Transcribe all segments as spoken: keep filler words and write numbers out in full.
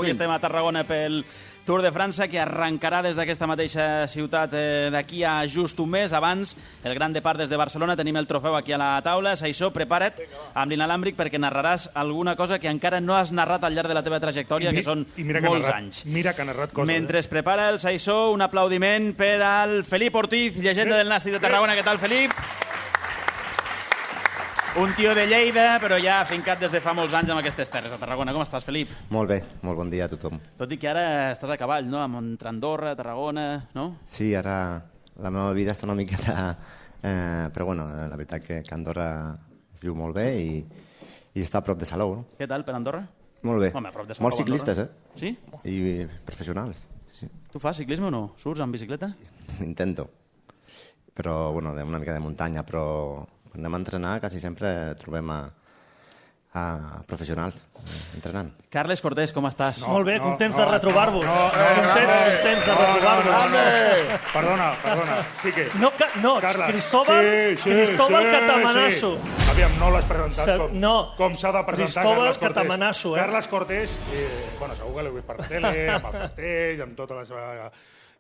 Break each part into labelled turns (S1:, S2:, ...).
S1: Avui estem a Tarragona pel Tour de França, que arrencarà des d'aquesta mateixa ciutat eh, d'aquí a just un mes. Abans, el Gran Depart des de Barcelona. Tenim el trofeu aquí a la taula. Saissó, prepara't amb l'inalàmbric perquè narraràs alguna cosa que encara no has narrat al llarg de la teva trajectòria, que són molts anys.
S2: Mira que ha narrat coses.
S1: Mentre es prepara el Saissó, un aplaudiment per al Felip Ortiz, llegenda del Nàstic de Tarragona. Què tal, Felip? Un tio de Lleida, però ja fincat des de fa molts anys amb aquestes terres a Tarragona. Com estàs, Felip?
S3: Molt bé, molt bon dia a tothom.
S1: Tot i que ara estàs a cavall, no? Entre Andorra, Tarragona, no?
S3: Sí, ara la meva vida està una miqueta... Eh, però bueno, la veritat que, que Andorra es viu molt bé i, i està a prop de Salou, no?
S1: Què tal per Andorra?
S3: Molt bé.
S1: Home, a prop de Salou,
S3: molts ciclistes,
S1: Andorra. Sí?
S3: I professionals. Sí.
S1: Tu fas ciclisme o no? Surts amb bicicleta?
S3: Intento. Però, bueno, una mica de muntanya, però... Quan anem a entrenar, quasi sempre trobem a, a professionals eh, entrenant.
S1: Carles Cortés, com estàs?
S4: No, Molt bé, contents no, de retrobar-vos. No, no, no, contents, no, contents de retrobar-vos.
S2: No, no, perdona, perdona. Sí que...
S4: No, ca, no
S2: Carles,
S4: Cristóbal,
S2: sí, sí,
S4: Cristóbal
S2: sí,
S4: Catamanasso.
S2: Sí. Aviam, no l'has presentat com,
S4: no.
S2: com s'ha de presentar
S4: Cristóbal
S2: Carles Cortés.
S4: Catamanasso, eh?
S2: Carles Cortés, eh, bueno, segur que l'heu vist per la tele, amb els castells, amb tota la seva...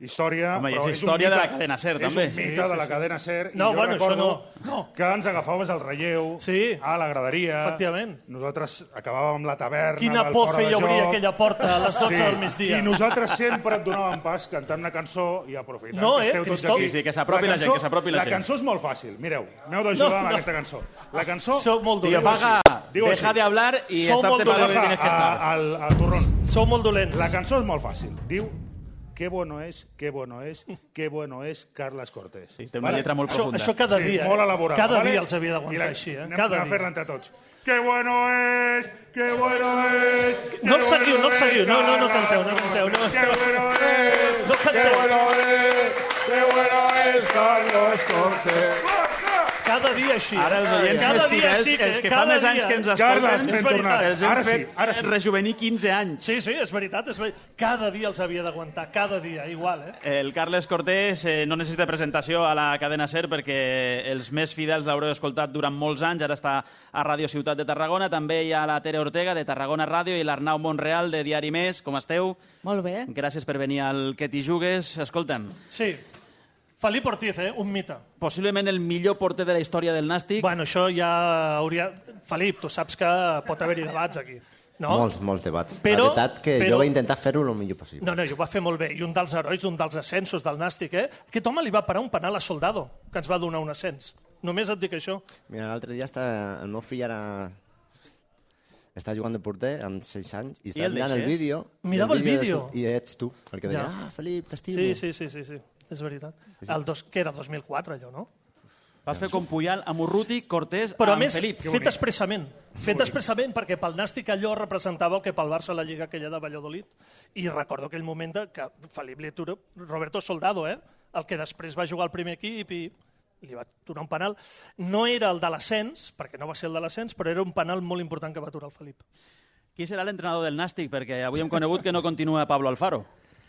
S2: història,
S1: Home,
S2: però
S1: és
S2: és
S1: història
S2: un mite,
S1: de la cadena SER, també.
S2: És un mite
S4: sí, sí,
S2: de la
S4: sí.
S2: cadena SER.
S4: No,
S2: I jo
S4: bueno,
S2: recordo
S4: això no. No.
S2: que ens agafaves el relleu
S4: sí.
S2: a la graderia.
S4: Efectivament.
S2: Nosaltres acabàvem la taverna
S4: Quina
S2: del
S4: por
S2: fora
S4: feia
S2: de
S4: obrir
S2: joc.
S4: aquella porta a les dotze
S2: Sí.
S4: del migdia.
S2: I nosaltres sempre et donàvem pas cantant una cançó i aprofitant
S4: No,
S2: que
S4: eh,
S2: esteu tots
S4: Cristòfol?
S2: aquí.
S1: Sí, sí, que s'apropi la gent, que s'apropi la
S2: La
S1: gent.
S2: cançó és molt fàcil. Mireu, m'heu d'ajudar
S4: No,
S2: amb
S4: no.
S2: aquesta cançó. La cançó...
S4: Sou molt
S1: Tío
S4: dolents.
S1: Faga,
S2: Diu
S1: deja
S2: així.
S1: de hablar y
S4: Sou
S1: estarte
S4: molt
S1: para lo que
S4: dolents.
S1: tienes que estar.
S2: al, al turrón.
S4: Sou molt dolents.
S2: La cançó és molt fàcil. Diu qué bueno es, qué bueno es, qué bueno es Carles Cortés.
S1: Sí, té una lletra molt
S4: Això,
S1: profunda.
S4: això cada
S2: Sí,
S4: dia.
S2: molt
S4: eh?
S2: elaborada.
S4: Cada
S2: ¿vale?
S4: dia els havia
S2: I
S4: d'aguantar
S2: la-
S4: així. Eh?
S2: Anem,
S4: Cada
S2: anem a
S4: dia.
S2: fer-la entre tots. Qué bueno es, qué bueno es...
S4: No el
S2: qué
S4: seguiu,
S2: bueno
S4: no el seguiu.
S2: es
S4: No, no, no
S2: Carles
S4: canteu, no canteu. No.
S2: Qué bueno es,
S4: No
S2: qué
S4: canteu.
S2: bueno es, qué bueno es Carles Cortés.
S4: Cada dia així.
S1: Ara els oients
S4: cada
S1: més
S4: dia
S1: fidels,
S4: sí que,
S1: els que fa
S4: cada
S1: més anys
S4: dia.
S1: que ens
S2: Carles,
S1: escolten,
S2: ben
S4: és
S2: tornat.
S1: els hem
S2: Ara sí,
S1: fet
S2: ara sí.
S1: rejuvenir quinze anys.
S4: Sí, sí, és veritat, és veritat. Cada dia els havia d'aguantar, cada dia, igual, eh?
S1: El Carles Cortés eh, no necessita presentació a la cadena SER perquè els més fidels l'haureu escoltat durant molts anys. Ara està a Ràdio Ciutat de Tarragona. També hi ha la Tere Ortega, de Tarragona Ràdio, i l'Arnau Montreal, de Diari Més. Com esteu?
S5: Molt bé.
S1: Gràcies per venir al Que t'hi jugues. Escolta'm,
S4: Sí. Felip Ortiz, eh? Un mite.
S1: possiblement el millor porter de la història del Nàstic.
S4: Bueno, això ja hauria... Felip, tu saps que pot haver-hi debats aquí. No?
S3: Molts, molts debats.
S4: Però-
S3: la veritat que
S4: però-
S3: jo vaig intentar fer-ho el millor possible.
S4: No, no, i ho va fer molt bé. I un dels herois d'un dels ascensos del Nàstic, eh? Aquest home li va parar un penal a Soldado, que ens va donar un ascens. Només et dic això.
S3: Mira, l'altre dia està, el meu fill ara està jugant de porter amb sis anys i està
S1: el
S3: mirant el
S1: deixes?
S3: vídeo. i
S4: Mirava el vídeo?
S3: de su- I ets tu, el que deia,
S4: Ja.
S3: ah, Felip, t'estimo.
S4: Sí, sí, sí, sí, sí. És veritat. El dos, que era dos mil quatre, allò, no?
S1: Vas fer com Puyal amb Urruti, Cortés,
S4: Però a
S1: amb
S4: més,
S1: Felip.
S4: fet expressament. Fet expressament perquè pel Nàstic allò representava el que pel Barça la Lliga aquella de Valladolid. I recordo aquell moment de que Felip li atura Roberto Soldado, eh? El que després va jugar al primer equip i li va aturar un penal. No era el de l'ascens, perquè no va ser el de l'ascens, però era un penal molt important que va aturar el Felip.
S1: Qui serà l'entrenador del Nàstic? Perquè avui hem conegut que no continua Pablo Alfaro.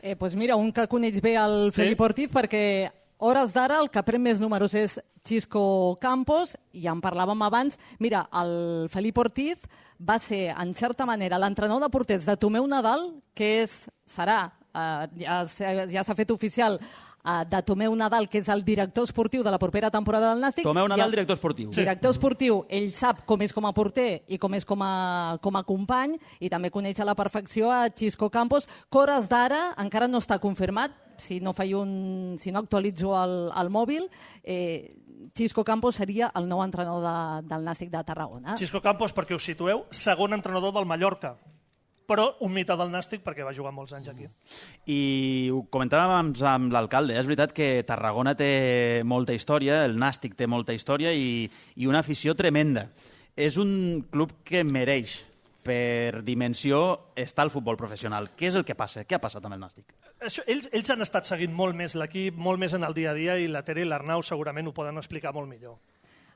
S5: Eh, pues mira, un que coneix bé el Felip Ortiz perquè hores d'ara el que pren més números és Xisco Campos, i en parlàvem abans. Mira, el Felip Ortiz va ser, en certa manera, l'entrenador de porters de Tomeu Nadal, que és, serà, eh, ja, s'ha- ja s'ha fet oficial, eh, de Tomeu Nadal, que és el director esportiu de la propera temporada del Nàstic.
S1: Tomeu
S5: I
S1: Nadal,
S5: el
S1: director esportiu.
S5: Director esportiu, ell sap com és com a porter i com és com a, com a company, i també coneix a la perfecció a Xisco Campos, que hores d'ara encara no està confirmat, si no, faig un, si no actualitzo el, el mòbil, eh, Xisco Campos seria el nou entrenador de, del Nàstic de Tarragona.
S4: Xisco Campos, perquè us situeu, segon entrenador del Mallorca, però un mite del Nàstic perquè va jugar molts anys aquí.
S1: I ho comentàvem amb, amb l'alcalde, és veritat que Tarragona té molta història, el Nàstic té molta història i, i una afició tremenda. És un club que mereix, per dimensió, estar al futbol professional. Què és el que passa? Què ha passat amb el Nàstic?
S4: Això, ells, ells han estat seguint molt més l'equip, molt més en el dia a dia, i la Tere i l'Arnau segurament ho poden explicar molt millor.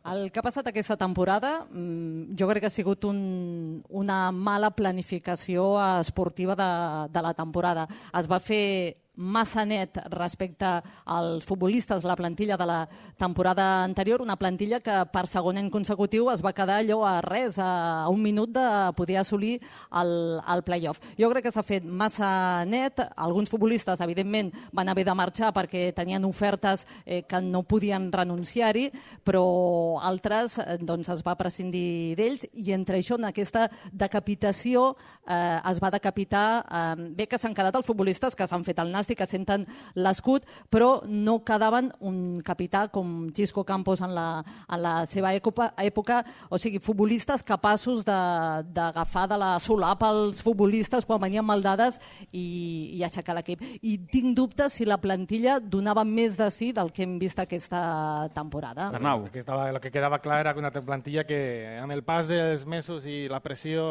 S5: El que ha passat aquesta temporada, mm, jo crec que ha sigut un, una mala planificació esportiva de, de la temporada. Es va fer massa net respecte als futbolistes, la plantilla de la temporada anterior, una plantilla que per segon any consecutiu es va quedar allò a res, a un minut de poder assolir el, el play-off. Jo crec que s'ha fet massa net, alguns futbolistes evidentment van haver de marxar perquè tenien ofertes eh, que no podien renunciar-hi, però altres eh, doncs es va prescindir d'ells i entre això, en aquesta decapitació, eh, es va decapitar, eh, bé que s'han quedat els futbolistes que s'han fet el nàstic, que senten l'escut, però no quedaven un capità com Xisco Campos en la, en la seva època, època, o sigui, futbolistes capaços d'agafar de, de la solapa els futbolistes quan venien maldades i, i aixecar l'equip. I tinc dubtes si la plantilla donava més de sí del que hem vist aquesta temporada.
S1: Arnau.
S6: El que, estava, el que quedava clar era que una plantilla que amb el pas dels mesos i la pressió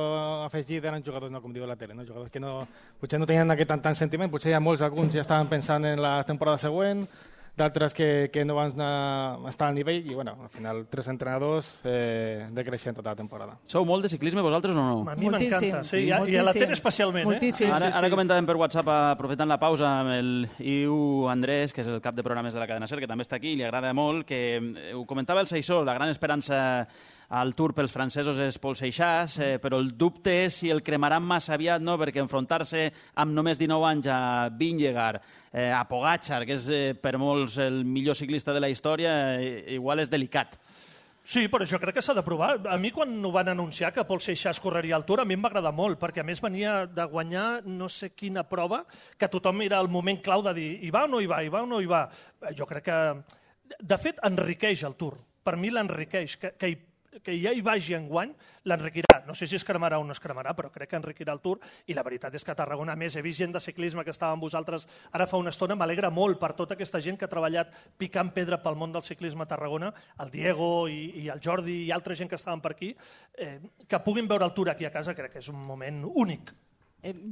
S6: afegida eren jugadors, no com diu la tele, no? Jugadors que no, potser no tenien aquest tant, tant sentiment, potser hi ha molts, alguns ja estaven pensant en la temporada següent, d'altres que, que no van estar al nivell i bueno, al final tres entrenadors eh, decreixent tota la temporada.
S1: Sou molt de ciclisme vosaltres o no?
S4: A mi m'encanta, sí, i a,
S5: Moltíssim.
S4: i a la tele especialment. Eh?
S5: Moltíssim.
S1: Ara, ara comentàvem per WhatsApp, aprofitant la pausa, amb el Iu Andrés, que és el cap de programes de la cadena SER, que també està aquí i li agrada molt, que ho comentava el Seixó, la gran esperança al Tour pels francesos és Paul Seixas, eh, però el dubte és si el cremaran massa aviat, no? Perquè enfrontar-se amb només dinou anys a Vingegaard, eh, a Pogačar, que és eh, per molts el millor ciclista de la història, eh, igual és delicat.
S4: Sí, però jo crec que s'ha de provar. A mi quan ho van anunciar que Paul Seixas correria al Tour, a mi em va agradar molt, perquè a més venia de guanyar no sé quina prova, que tothom era el moment clau de dir hi va o no hi va, hi va o no hi va. Jo crec que, de fet, enriqueix el Tour. Per mi l'enriqueix, que, que hi que ja hi vagi enguany, l'enriquirà. No sé si es cremarà o no es cremarà, però crec que enriquirà el Tour i la veritat és que a Tarragona, a més, he vist gent de ciclisme que estava amb vosaltres ara fa una estona, m'alegra molt per tota aquesta gent que ha treballat picant pedra pel món del ciclisme a Tarragona, el Diego i, i el Jordi i altra gent que estaven per aquí, eh, que puguin veure el Tour aquí a casa, crec que és un moment únic.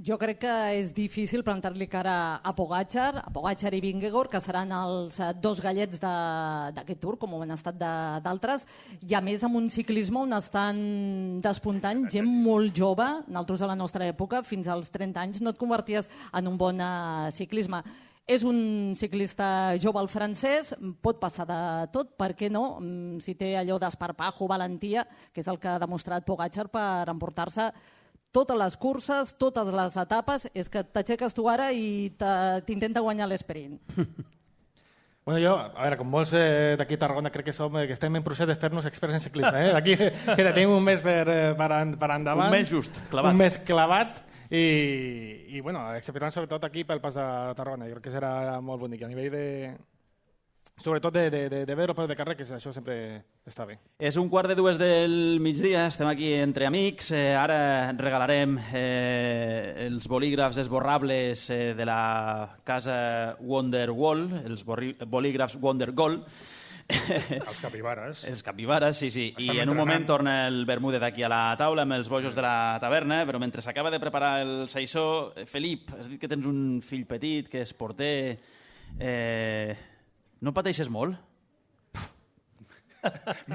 S5: Jo crec que és difícil plantar-li cara a Pogačar, a Pogačar i Vingegaard, que seran els dos gallets d'aquest Tour, com ho han estat d'altres, i a més amb un ciclisme on estan despuntant gent molt jove. Nosaltres a la nostra època, fins als trenta anys, no et converties en un bon ciclisme. És un ciclista jove, el francès, pot passar de tot, per què no? Si té allò d'esparpajo, valentia, que és el que ha demostrat Pogačar per emportar-se totes les curses, totes les etapes, és que t'aixeques tu ara i t'intenta guanyar l'esprint.
S6: Bueno, jo, a veure, com molts eh, d'aquí a Tarragona crec que som, eh, que estem en procés de fer-nos experts en ciclisme. Eh? D'aquí que tenim un mes per, per, per endavant.
S1: Un mes just, clavat.
S6: Un mes clavat i, i bueno, excepcionant sobretot aquí pel pas de Tarragona. Jo crec que serà molt bonic. A nivell de... Sobretot de, de, de, de veure el de carrer, que això sempre està bé.
S1: És un quart de dues del migdia, estem aquí entre amics. Eh, ara regalarem eh, els bolígrafs esborrables eh, de la casa Wonderwall, els bolígrafs Wondergold.
S2: Els capibares.
S1: Els capibares, sí, sí.
S2: Estem
S1: I en un
S2: entrenant.
S1: moment torna el Bermúdez aquí a la taula amb els bojos de la taverna, però mentre s'acaba de preparar el Saissó, Felip, has dit que tens un fill petit, que és porter... Eh... No pateixes molt?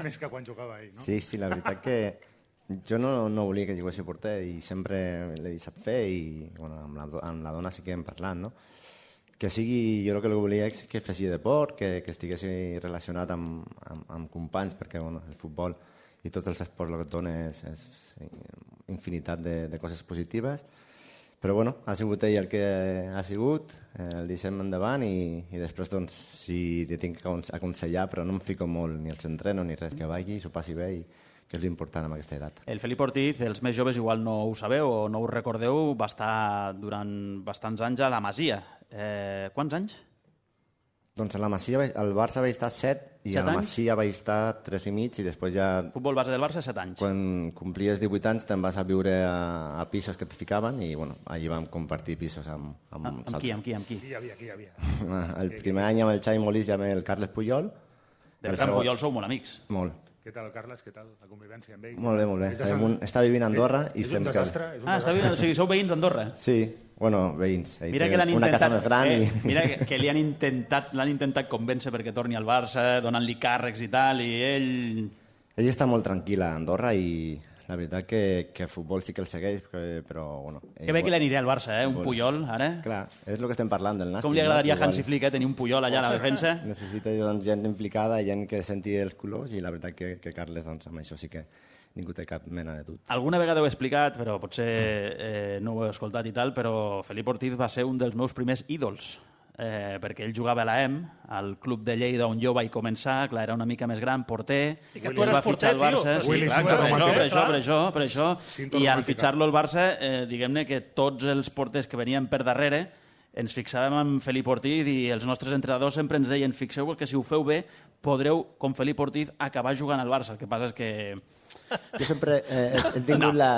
S2: Més que quan jugava ell, no?
S3: Sí, sí, la veritat que jo no, no volia que jugués a porter i sempre l'he deixat fer i bueno, amb, la, amb la dona sí que hem parlat, no? Que sigui, jo el que volia és que fessi deport, que, que estigués relacionat amb, amb, amb companys, perquè bueno, el futbol i tots els esports el que et dona és, és infinitat de, de coses positives. Però bueno, ha sigut ell el que ha sigut, eh, el deixem endavant i, i després doncs, si li tinc que aconsellar, però no em fico molt ni als entrenos ni res, que vagi, s'ho passi bé i que és l'important amb aquesta edat.
S1: El Felip Ortiz, els més joves igual no ho sabeu o no ho recordeu, va estar durant bastants anys a la Masia. Eh, quants anys?
S3: Doncs a la Masia, al Barça vaig estar set i
S1: Set
S3: a la
S1: anys?
S3: Masia vaig estar tres i mig i després ja,
S1: Futbol base del Barça, set anys.
S3: quan complies divuit anys, te'n vas a viure a, a pisos que et ficaven i bueno, allí vam compartir pisos amb, amb,
S1: Ah, amb qui, amb qui, amb qui?
S2: Aquí hi havia, aquí hi havia.
S3: El primer any amb el Xavi Molís i amb el Carles Puyol.
S1: De
S3: El
S1: veritat,
S3: segon-
S1: Puyol sou molt amics.
S3: Molt.
S2: Què tal, Carles? Què tal la convivència amb ell?
S3: Molt bé, molt bé.
S2: És de
S3: Està,
S2: Sant-
S3: un, està vivint a Andorra i
S2: És
S3: estem...
S2: un desastre. És un
S1: Ah, està
S2: desastre.
S1: bé, o sigui, sou veïns d'Andorra.
S3: Sí, bueno, veïns. Ell
S1: Mira
S3: té
S1: que l'han
S3: una casa
S1: intentat,
S3: més gran
S1: eh,
S3: i...
S1: mira que, que li han intentat, l'han intentat convèncer perquè torni al Barça, donant-li càrrecs i tal, i ell...
S3: Ell està molt tranquil a Andorra i la veritat que, que futbol sí que el segueix, però, bueno...
S1: Que bé que l'aniré al Barça, eh? Un Puyol, ara.
S3: Clar, és el que estem parlant del Nàstic.
S1: Com li agradaria
S3: no?
S1: a Hansi Flick, eh? Tenir un Puyol allà a la defensa.
S3: Necessita doncs, gent implicada, gent que senti els colors, i la veritat que, que Carles, doncs, amb això sí que ningú té cap mena de dubte.
S1: Alguna vegada ho he explicat, però potser eh, no ho he escoltat i tal, però Felip Ortiz va ser un dels meus primers ídols. Eh, perquè ell jugava a l'A E M, al club de Lleida on jo vaig començar, clar, era una mica més gran, porter,
S4: i que tu eres porter, tio.
S1: Sí, clar, per, això, per això, per això, per això, i al fitxar-lo al Barça, eh, diguem-ne que tots els porters que venien per darrere ens fixàvem en Felip Ortiz i els nostres entrenadors sempre ens deien fixeu-vos que si ho feu bé podreu, com Felip Ortiz, acabar jugant al Barça. El que passa és que...
S3: Jo sempre eh, he tingut no. la...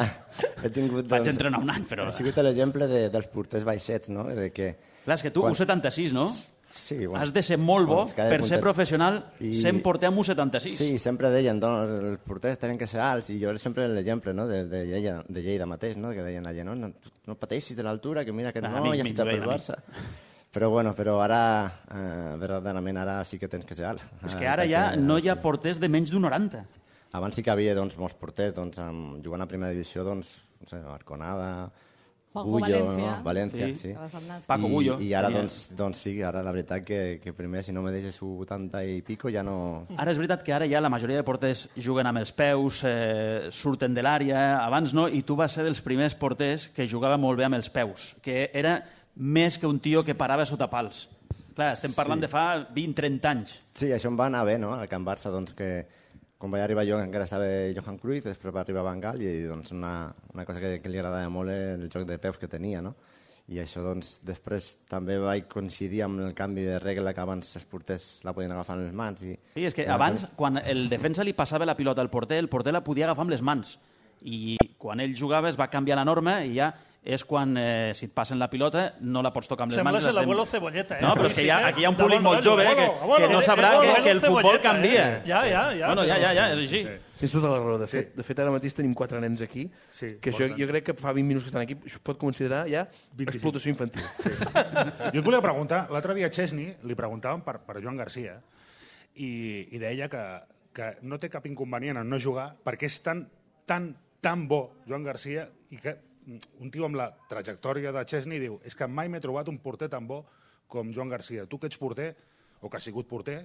S3: He tingut, doncs,
S1: vaig entrenar un any, però...
S3: He sigut l'exemple de, dels porters baixets, no? De que...
S1: Clar, és que tu, Quan... U setanta-sis, no?
S3: Sí, bueno.
S1: Has de ser molt bo
S3: bueno,
S1: per
S3: porter...
S1: ser professional
S3: I...
S1: sent porter amb U setanta-sis.
S3: Sí, sempre deien, doncs, els porters tenen que ser alts, i jo era sempre l'exemple, no?, de, de, Lleida, de Lleida mateix, no?, que deien allà, no, no, no pateixis de l'altura, que mira que no, no ja ha fitxat pel Barça. Però, bueno, però ara, eh, verdaderament, ara sí que tens que ser alt.
S1: És que ara ja no hi ha porters de menys d'un noranta.
S3: Abans sí que havia, doncs, molts porters, doncs, amb, jugant a primera divisió, doncs, no sé, Arconada...
S5: Juanjo
S3: Bullo,
S5: Valencia.
S3: no? València,
S1: sí.
S3: sí.
S1: Paco Bullo.
S3: I, i ara, doncs, doncs sí, ara la veritat que, que primer, si no me deixes vuitanta i pico, ja no...
S1: Ara és veritat que ara ja la majoria de porters juguen amb els peus, eh, surten de l'àrea, abans no, i tu vas ser dels primers porters que jugava molt bé amb els peus, que era més que un tio que parava sota pals. Clar, estem parlant sí. de fa vint trenta anys.
S3: Sí, això em va anar bé, no?, al Can Barça, doncs, que quan vaig arribar jo encara estava Johan Cruyff, després va arribar Van Gaal, i doncs una, una cosa que, que li agradava molt era el joc de peus que tenia, no? I això, doncs, després també vaig coincidir amb el canvi de regla que abans els porters la podien agafar amb les mans. I,
S1: sí, és que abans, quan el defensa li passava la pilota al porter, el porter la podia agafar amb les mans. I quan ell jugava es va canviar la norma i ja és quan, eh, si et passen la pilota, no la pots tocar amb les
S4: Sembla
S1: mans.
S4: Sembla l'abuelo Cebolleta, eh?
S1: No, però és que hi ha, aquí hi ha un públic molt jove que, que no sabrà que, que el futbol canvia.
S4: Ja, ja, ja.
S1: Bueno, ja, ja, ja, és així.
S7: Tens tota la raó. De fet, de fet, ara mateix tenim quatre nens aquí,
S2: sí,
S7: que això, jo crec que fa vint minuts que estan aquí, això es pot considerar ja explotació infantil.
S2: Sí. Jo et volia preguntar, l'altre dia a Chesney li preguntaven per, per Joan Garcia i, i deia que, que no té cap inconvenient en no jugar perquè és tan, tan, tan bo Joan Garcia i que un tio amb la trajectòria de Chesney diu és que mai m'he trobat un porter tan bo com Joan Garcia. Tu que ets porter, o que has sigut porter,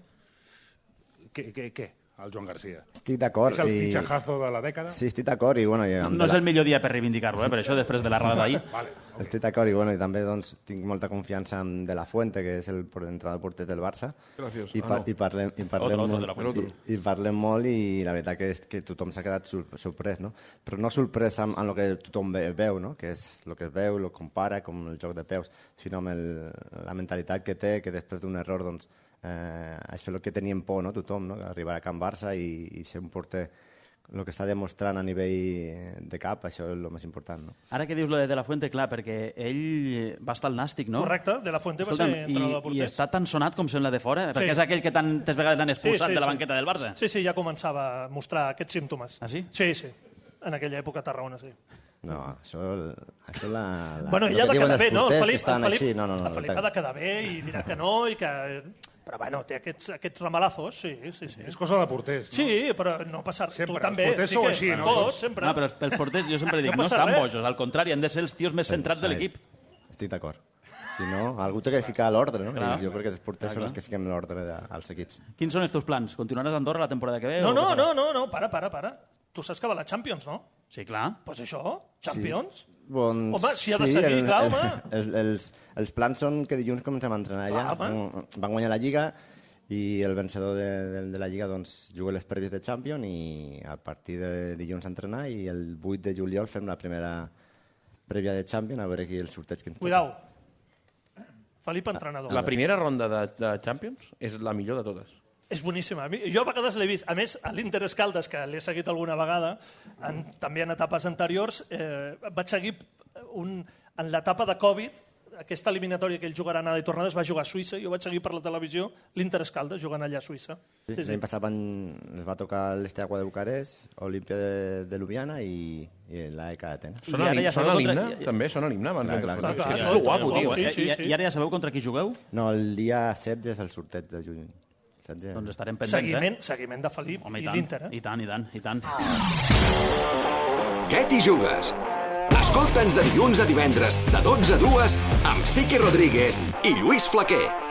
S2: què, què, què? El Joan Garcia.
S3: Estic d'acord.
S2: És el
S3: i...
S2: fitxajazo de la dècada?
S3: Sí, estic d'acord. I, bueno, i
S1: no és el millor dia per reivindicar-lo, eh? Per això, després de la rada d'ahir.
S2: Vale, okay.
S3: Estic d'acord i, bueno, i també doncs, tinc molta confiança en De La Fuente, que és el entrenador porter del Barça.
S7: Gràcies.
S3: I, par
S7: ah, no.
S3: i, parlem, i, parlem
S1: otro,
S3: molt,
S1: otro
S3: i, i parlem molt i la veritat que, és, que tothom s'ha quedat sorprès, no? Però no sorprès amb, amb el que tothom veu, no? Que és el que es veu, el compara, com el joc de peus, sinó amb el, la mentalitat que té, que després d'un error, doncs, Eh, això és el que teníem por, no? Tothom, no? Arribar a Can Barça i, i ser un porter, el que està demostrant a nivell de cap, això és el més important, no?
S1: Ara que dius lo de De La Fuente, clar, perquè ell va estar al Nàstic, no?
S4: Correcte, De La Fuente va
S1: Escolta'm,
S4: ser entrenador de porters.
S1: I està tan sonat com sembla de fora,
S4: Sí.
S1: perquè és aquell que tantes vegades l'han expulsat
S4: Sí, sí,
S1: de la
S4: sí.
S1: banqueta del Barça.
S4: Sí, sí, ja començava a mostrar aquests símptomes.
S1: Ah, sí?
S4: Sí, sí. En aquella època a Tarragona, sí.
S3: No, això, això la, la...
S4: Bueno,
S3: el
S4: ell ha
S3: que
S4: de
S3: diuen
S4: quedar
S3: els
S4: bé, no? El
S3: porters que
S4: Felip,
S3: estan
S4: el Felip,
S3: així, no, no, no,
S4: el Felip ha de quedar bé i dirà que no, i que... Però bueno, té aquests, aquests ramalazos, sí, sí, sí.
S2: És cosa de porters, no?
S4: Sí, però no passar...
S2: Sempre,
S4: tu també,
S2: els porters
S4: sí
S2: sou
S4: que...
S2: així, no?
S4: Tots, sempre.
S1: No, però els porters, jo sempre dic,
S4: No
S1: no,
S4: passa
S1: estan
S4: res.
S1: bojos, al contrari, han de ser els tios més centrats de l'equip.
S3: Estic d'acord. Si no, algú té que ficar l'ordre, no?
S1: Clar.
S3: Jo crec que els porters són els que fiquen l'ordre als equips.
S1: Quins són els teus plans? Continuaràs a Andorra la temporada que ve?
S4: No,
S1: o què
S4: no,
S1: faràs?
S4: no, no, no, para, para, para. Tu saps que va la Champions, no?
S1: Sí, clar.
S4: Doncs pues això, Champions.
S3: Sí. Bon,
S4: Home, si ha de seguir, clar,
S3: el,
S4: home.
S3: El, el, els, els plans són que dilluns comencem a entrenar allà.
S4: Clar,
S3: Van, van guanyar la Lliga i el vencedor de, de, de la Lliga doncs, juga les prèvies de Champions i a partir de dilluns a entrenar i el vuit de juliol fem la primera prèvia de Champions a veure qui el sorteig que ens toca.
S4: Cuidao. Felip, entrenador.
S7: La primera ronda de, de Champions és la millor de totes.
S4: És boníssima. A mi- Jo a vegades l'he vist. A més, a l'Inter Escaldes, que l'he seguit alguna vegada, en, també en etapes anteriors, eh, vaig seguir un, en l'etapa de Covid, aquesta eliminatòria que ell jugarà anada i tornada, es va jugar a Suïssa, jo vaig seguir per la televisió l'Inter Escaldes jugant allà a Suïssa.
S3: Sí, L'any passat van, ens va tocar l'Esteagua de Bucarest, Olímpia de, de Ljubljana i, i l'A E K d'Atenes.
S7: Són
S1: I ara
S7: a
S1: ja
S7: són a
S1: sabeu
S7: l'himne,
S1: contra-
S7: també? Són a l'himne? abans
S3: Clar,
S7: de-
S3: clar,
S4: clar,
S7: És que
S4: clar.
S7: és lo guapo, tio.
S4: Sí,
S1: I,
S4: sí,
S1: i,
S4: sí.
S1: I ara ja sabeu contra qui jugueu?
S3: No, el dia setze és el sorteig de juny. missatge.
S1: Doncs estarem pendents,
S4: Seguiment,
S1: eh?
S4: seguiment de Felip
S1: Home,
S4: i,
S1: i,
S4: i l'Inter, eh?
S1: I tant, i tant, i tant.
S8: Què t'hi jugues? Escolta'ns de dilluns a divendres, de dotze a dues, amb Sique Rodríguez i Lluís Flaquer.